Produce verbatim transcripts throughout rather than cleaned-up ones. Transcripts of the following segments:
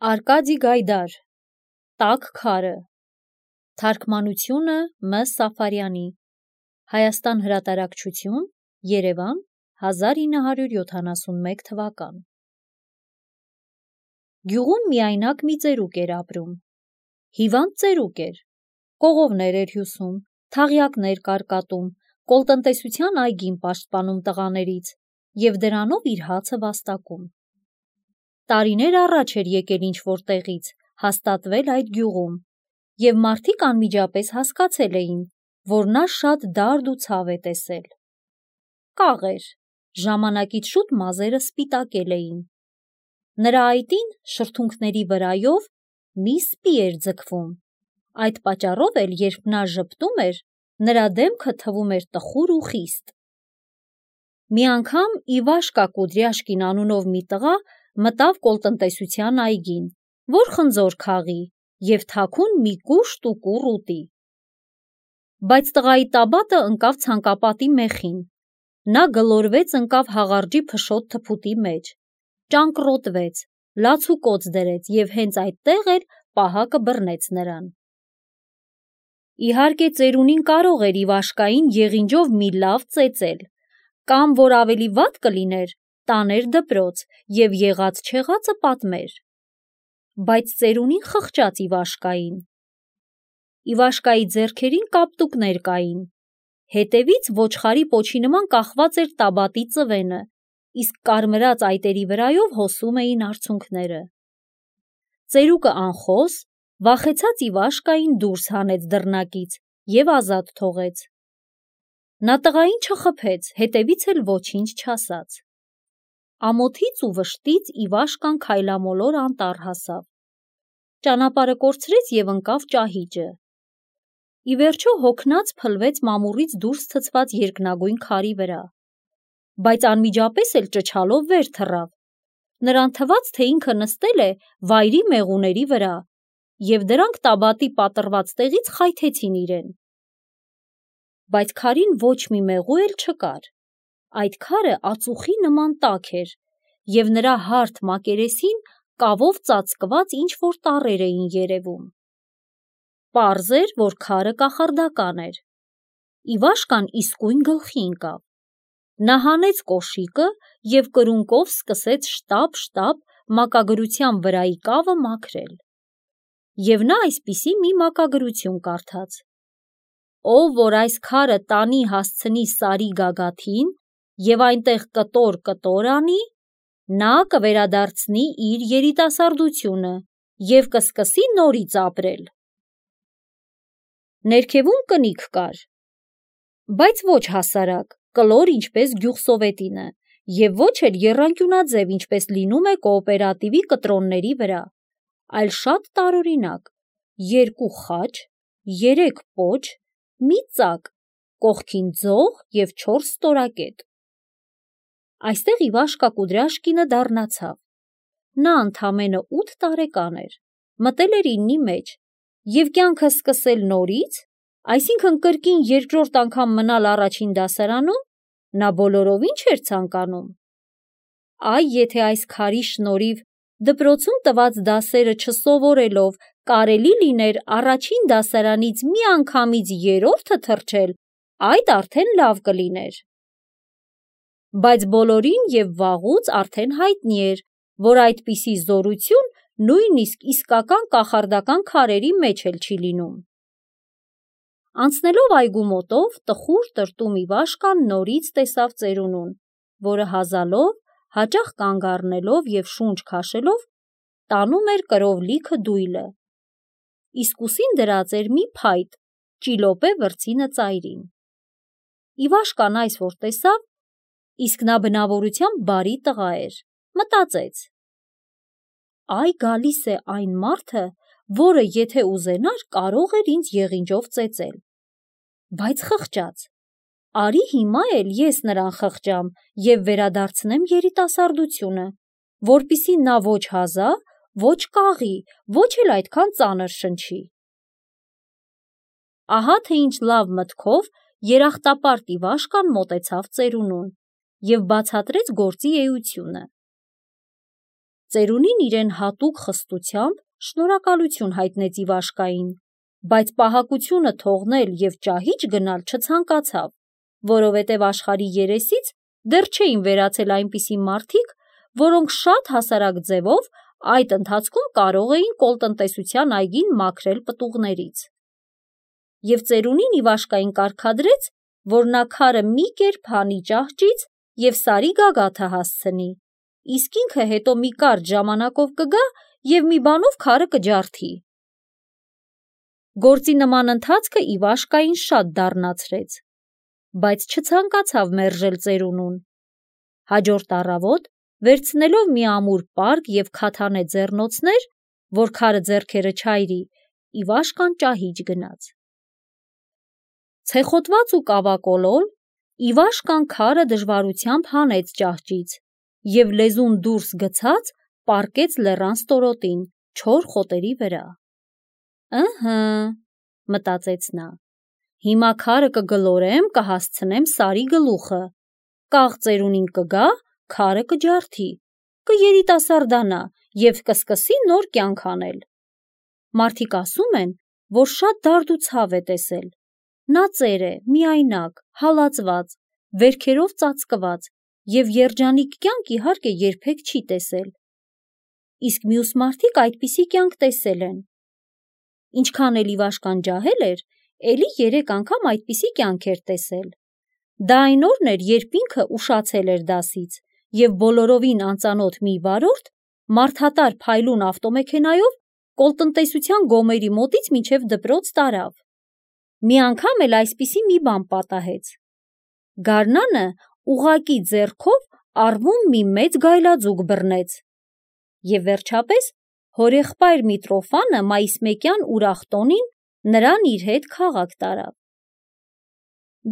Արկադի Գայդար «Տաք քարը», թարգմանությունը Մ. Սաֆարյանի, Հայաստան հրատարակչություն, Երևան, հազար ինը հարյուր յոթանասունմեկ թվական։ Գյուղում միայնակ մի ծերուկ էր ապրում։ Հիվանդ ծերուկ էր, կողովներ էր հյուսում, թաղյակներ կարկատում, կոլտնտեսության այգին պաշտպանում տղաներից և դրանով իր հացը վաստակում։ Տարիներ առաջ էր եկել ինչ-որ տեղից, հաստատվել այդ գյուղում, և մարդիկ անմիջապես հասկացել էին, որ նա շատ դարդ ու ցավ է տեսել։ Կաղ էր, ժամանակից շուտ մազերը սպիտակել էին։ Նրա այտին շրթունքների վրայով մի սպի էր ձգվում, այդ պատճառով էլ երբ նա ժպտում էր, նրա դեմքը թվում էր տխուր ու խիստ։ Մի անգամ Իվաշկա Կուդրյաշկին անունով մի տղա մտավ կոլտնտեսության այգին, որ խնձոր քաղի և թաքուն մի կուշտ ու կուռ ուտի։ Բայց տղայի տաբատը ընկավ ցանկապատի մեխին, նա գլորվեց ընկավ հաղարջի փշոտ թփուտի մեջ, ճանկռոտվեց, լացուկոծ դրեց և հենց այդտեղ էլ պահակը բռնեց նրան։ Իհարկե ծերունին կարող էր Իվաշկային եղինջով մի լավ ծեծել, կամ, որ ավելի վատ կլիներ, տաներ դպրոց և եղած-չեղածը պատմեր։ Բայց ծերունին խղճաց Իվաշկային։ Իվաշկայի ձեռքերին կապտուկներ կային, հետևից ոչխարի պոչի նման կախված էր տաբատի ծվենը, իսկ կարմրած այտերի վրայով հոսում էին արցունքները։ Ծերուկը անխոս, վախեցած Իվաշկային դուրս հանեց դռնակից և ազատ թողեց։ Նա տղային չխփեց, հետևից էլ ոչինչ չասաց։ Ամոթից ու վշտից Իվաշկան քայլամոլոր անտառ հասավ, ճանապարհը կորցրեց և ընկավ ճահիճը։ Ի վերջո հոգնած փլվեց մամուռից դուրս ցցված երկնագույն քարի վրա, բայց անմիջապես էլ ճչալով վեր թռավ։ Նրան թվաց, թե ինքը նստել է վայրի մեղուների վրա, և դրանք տաբատի պատռված տեղից խայթեցին իրեն։ Բայց քարին ոչ մի մեղու էլ չկար, այդ քարը ածուխի նման տաք էր, և նրա հարթ մակերեսին կավով ծածկված ինչ-որ տառեր էին երևում։ Պարզ էր, որ քարը կախարդական էր։ Իվաշկան իսկույն գլխի ընկավ։ Նա հանեց կոշիկը և կրունկով սկսեց շտապ-շտապ մակագրության վրայի կավը մաքրել։ Եվ նա այսպիսի մի մակագրություն կարդաց. «Ով որ այս քարը տանի հասցնի Սարի գագաթին և այնտեղ կտոր-կտոր անի, նա կվերադարձնի իր երիտասարդությունը և կսկսի նորից ապրել»։ Ներքևում կնիկ կար, բայց ոչ հասարակ, կլոր, ինչպես գյուղսովետինը, և ոչ էլ եռանկյունաձև, ինչպես լինում է կոոպերատիվի կտրոնների վրա, այլ շատ տարօրինակ՝ երկու խաչ, երեք պոչ, մի ծակ, կողքին ձող և չորս ստորակետ։ Այստեղ Իվաշկա Կուդրյաշկինը դառնացավ։ Նա ընդամենը ութ տարեկան էր, մտել էր իննի մեջ, և կյանքը սկսել նորից, այսինքն կրկին երկրորդ անգամ մնալ առաջին դասարանում, նա բոլորովին չէր ցանկանում։ Այ եթե այս քարի շնորհիվ դպրոցում տված դասերը չսովորելով կարելի լիներ առաջին դասարանից միանգամից երրորդը թռչել, այդ արդեն լավ կլիներ։ Բայց բոլորին և վաղուց արդեն հայտնի էր, որ այդպիսի զորություն նույնիսկ իսկական կախարդական քարերի մեջ էլ չի լինում։ Անցնելով այգու մոտով, տխուր տրտում Իվաշկան նորից տեսավ ծերունուն, որը հազալով, հաճախ կանգ առնելով և շունչ քաշելով, տանում էր կրով լիքը դույլը, իսկ ուսին դրած էր մի փայտ ճիլոպե վրձինը ծայրին։ Իվաշկան այս որ տեսավ, իսկ նա բնավորությամբ բարի տղա էր, մտածեց. «Այ գալիս է այն մարդը, որը եթե ուզենար, կարող էր ինձ եղինջով ծեծել»։ Բայց խղճաց. «Արի հիմա էլ ես նրան խղճամ և վերադարձնեմ երիտասարդությունը, որպեսզի նա ոչ հազա, ոչ կաղի, ոչ էլ այդքան ծանր շնչի»։ Ահա թե ինչ լավ մտքով երախտապարտ Իվաշկան մոտեցավ ծերունուն և բացատրեց գործի էությունը։ Ծերունին իրեն հատուկ խստությամբ շնորհակալություն հայտնեց Իվաշկային, բայց պահակությունը թողնել և ճահիճ գնալ չցանկացավ, որովհետև աշխարհի երեսից դեռ չէին վերացել այնպիսի մարդիկ, որոնք շատ հասարակ ձևով այդ ընթացքում կարող էին կոլտնտեսության այգին մաքրել պտուղներից։ Եվ ծերունին Իվաշկային կարգադրեց, որ նա քարը մի կերպ հանի ճահճից և Սարի գագաթը հասցնի, իսկ ինքը հետո մի կարճ ժամանակով կգա և մի բանով քարը կջարդի։ Գործի նման ընթացքը Իվաշկային շատ դառնացրեց, բայց չցանկացավ մերժել ծերունուն։ Հաջորդ առավոտ, վերցնելով մի ամուր պարկ և քաթանե ձեռնոցներ, որ քարը ձեռքերը չայրի, Իվաշկան ճահիճ գնաց։ Ցեխոտված ու կավակոլոլ, Իվաշկան քարը դժվարությամբ հանեց ճահճից և լեզուն դուրս գցած պառկեց լեռան ստորոտին, չոր խոտերի վրա։ «Ըհը», մտածեց նա, «հիմա քարը կգլորեմ, կհասցնեմ Սարի գլուխը, կաղ ծերունին կգա, քարը կջարդի, կերիտասարդանա և կսկսի նոր կյանք անել։ Մարդիկ ասում են, որ շատ դարդ ու ցավ է տեսել։ Նա ծեր է, միայնակ, հալածված, վերքերով ծածկված և երջանիկ կյանք իհարկե երբեք չի տեսել։ Իսկ մյուս մարդիկ այդպիսի կյանք տեսել են։ Ինչքան էլ Իվաշկան ջահել էր, էլի երեք անգամ այդպիսի կյանք էր տեսել։ Դա այն օրն էր, երբ ինքը ուշացել էր դասից և բոլորովին անծանոթ մի վարորդ մարդատար փայլուն ավտոմեքենայով կոլտնտեսության գոմերի մոտից մինչև դպրոց տարավ։ Մի անգամ էլ այսպիսի մի բան պատահեց. գարնանը ուղղակի ձեռքով առվում մի մեծ գայլաձուկ բռնեց, և վերջապես հորեղբայր Միտրոֆանը մայիսմեկյան ուրախ տոնին նրան իր հետ քաղաք տարավ։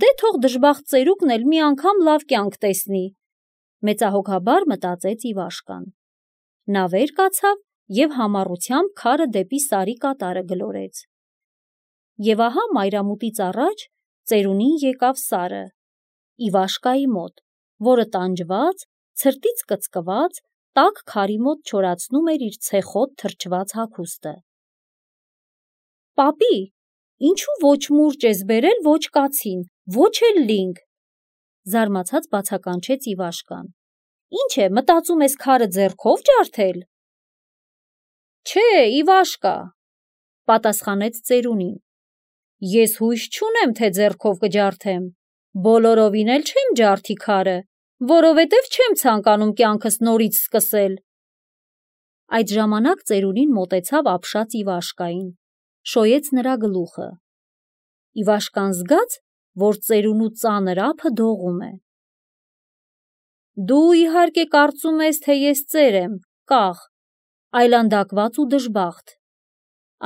Դե թող դժբախտ ծերուկն էլ մի անգամ լավ կյանք տեսնի, մեծահոգաբար մտածեց Իվաշկան։ Նա վեր կացավ և համառությամբ քարը դեպի Սարի կատարը գլորեց։ Եվ ահա մայրամուտից առաջ ծերունին եկավ Սարը, Իվաշկայի մոտ, որը տանջված, ցրտից կծկված, տաք քարի մոտ չորացնում էր իր ցեխոտ թրջված հագուստը։ «Պապի, ինչու ոչ մուրճ ես բերել, ոչ կացին, ոչ էլ լինգ», զարմացած բացականչեց Իվաշկան։ «Ինչ է, մտածում ես քարը ձեռքով ջարդել»։ «Չէ, Իվաշկա», պատասխանեց ծերունին, «ես հույս չունեմ, թե ձեռքով կջարդեմ, բոլորովին էլ չեմ ջարդի քարը, որովհետև չեմ ցանկանում կյանքս նորից սկսել»։ Այդ ժամանակ ծերունին մոտեցավ ապշած Իվաշկային, շոյեց նրա գլուխը։ Իվաշկան զգաց, որ ծերունու ծանր ափը դողում է։ «Դու իհարկե կարծում ես, թե ես ծեր եմ, կաղ, այլանդակված ու դժբախտ»,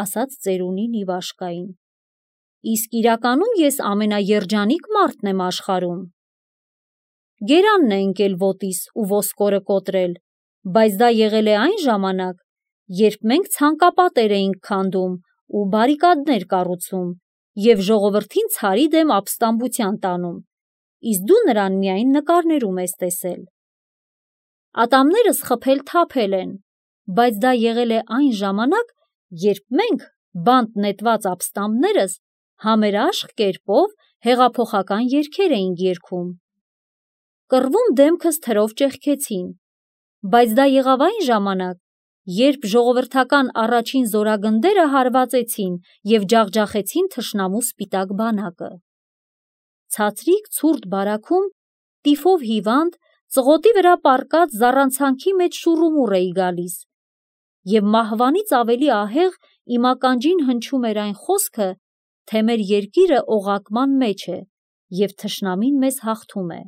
ասաց ծերունին Իվաշկային, «իսկ իրականում ես ամենաերջանիկ մարդն եմ աշխարհում։ Գերանն է ընկել ոտիս ու ոսկորը կոտրել, բայց դա եղել է այն ժամանակ, երբ մենք ցանկապատեր էինք քանդում ու բարիկադներ կառուցում և ժողովրդին ցարի դեմ ապստամբության տանում, իսկ դու նրան միայն նկարներում ես տեսել։ Ատամներս խփել թափել են, բայց դա եղել է այն ժամանակ, երբ մենք, բանտ նետված ապստամբներս, համերաշխ կերպով հեղափոխական երգեր էինք երգում։ Կռվում դեմքս թրով ճեղքեցին, բայց դա եղավ այն ժամանակ, երբ ժողովրդական առաջին զորագնդերը հարվածեցին և ջախջախեցին թշնամու սպիտակ բանակը։ Ցածրիկ ցուրտ բարաքում, տիֆով հիվանդ, ծղոտի վրա պառկած զառանցանքի մեջ շուռումուռ էի գալիս, և մահվանից ավելի ահեղ իմ ականջին հնչում էր այն խոսքը, թե մեր երկիրը օղակման մեջ է և թշնամին մեզ հաղթում է։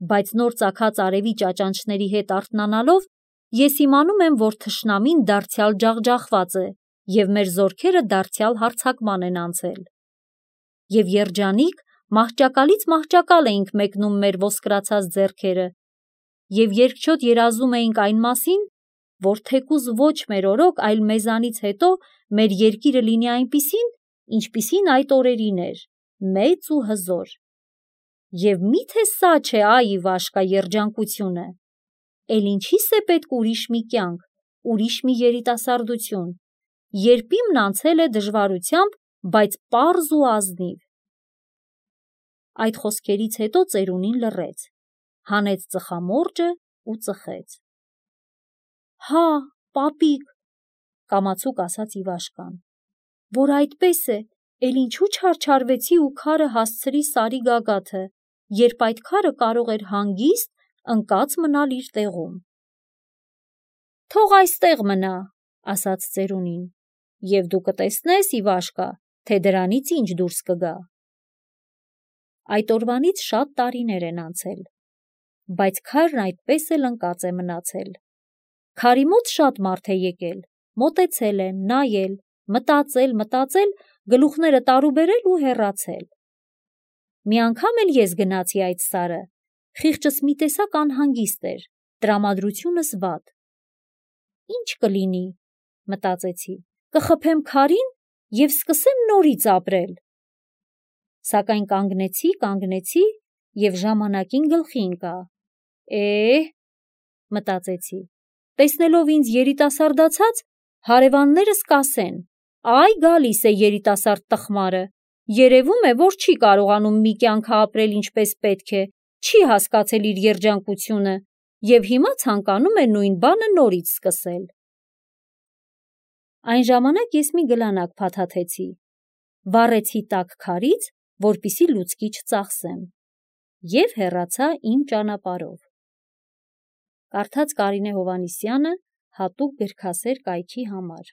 Բայց նոր ծագած արևի ճաճանճների հետ արթնանալով, ես իմանում եմ, որ թշնամին դարձյալ ջախջախված է և մեր զորքերը դարձյալ հարձակման են անցել։ Եվ երջանիկ, մահճակալից մահճակալ էինք մեկնում մեր ոսկրացած ձեռքերը և երկչոտ երազում էինք այն մասին, որ թեկուզ ոչ մեր օրոք, այլ մեզանից հետո մեր երկիրը լինի այնպիսին, ինչպիսին այդ օրերին էր, մեծ ու հզոր։ Եվ մի՞թե սա չէ, այ Իվաշկա, երջանկությունը։ էլ ինչի՞ս է պետք ուրիշ մի կյանք, ուրիշ մի երիտասարդություն, երբ իմն անցել է դժվարությամբ, բայց պարզ ու ազնիվ։ Այդ խոսքերից հետո ծերունին լռեց, հանեց ծխամորճը ու ծխեց։ Հա, պապիկ, կամացուկ ասաց Իվաշկան, որ այդպես է, էլ ինչու չարչարվեցի ու քարը հասցրի Սարի գագաթը, երբ այդ քարը կարող էր հանգիստ ընկած մնալ իր տեղում։ Թող այստեղ մնա, ասաց ծերունին, և դու կտեսնես, Իվաշկա, թե դրանից ինչ դուրս կգա։ Այդ օրվանից շատ տարիներ են անցել, բայց քարն այդպես էլ ընկած է մնացել։ Քարի մոտ շատ մարդ է եկել, մոտեցել է, նայել, մտածել, մտածել, գլուխները տարուբերել ու հեռացել։ Մի անգամ էլ ես գնացի այդ Սարը, խիղճս մի տեսակ անհանգիստ էր, տրամադրությունս վատ։ Ինչ կլինի, մտածեցի, կխփեմ քարին և սկսեմ նորից ապրել։ Սակայն կանգնեցի, կանգնեցի և ժամանակին գլխի ընկա։ Է, մտածեցի, տեսնելով ինձ երիտասարդացած, հարևաններս կասեն, այ գալիս է երիտասարդ տխմարը, երևում է, որ չի կարողանում մի կյանք ապրել ինչպես պետք է, չի հասկացել իր երջանկությունը և հիմա ցանկանում է նույն բանը նորից սկսել։ Այն ժամանակ ես մի գլանակ փաթաթեցի, վառեցի տաք քարից, որպեսզի լուցկի չծախսեմ, և հեռացա իմ ճանապարհով։ Կարդաց Կարինե Հովհաննիսյանը հատուկ գրքասեր կայքի համար։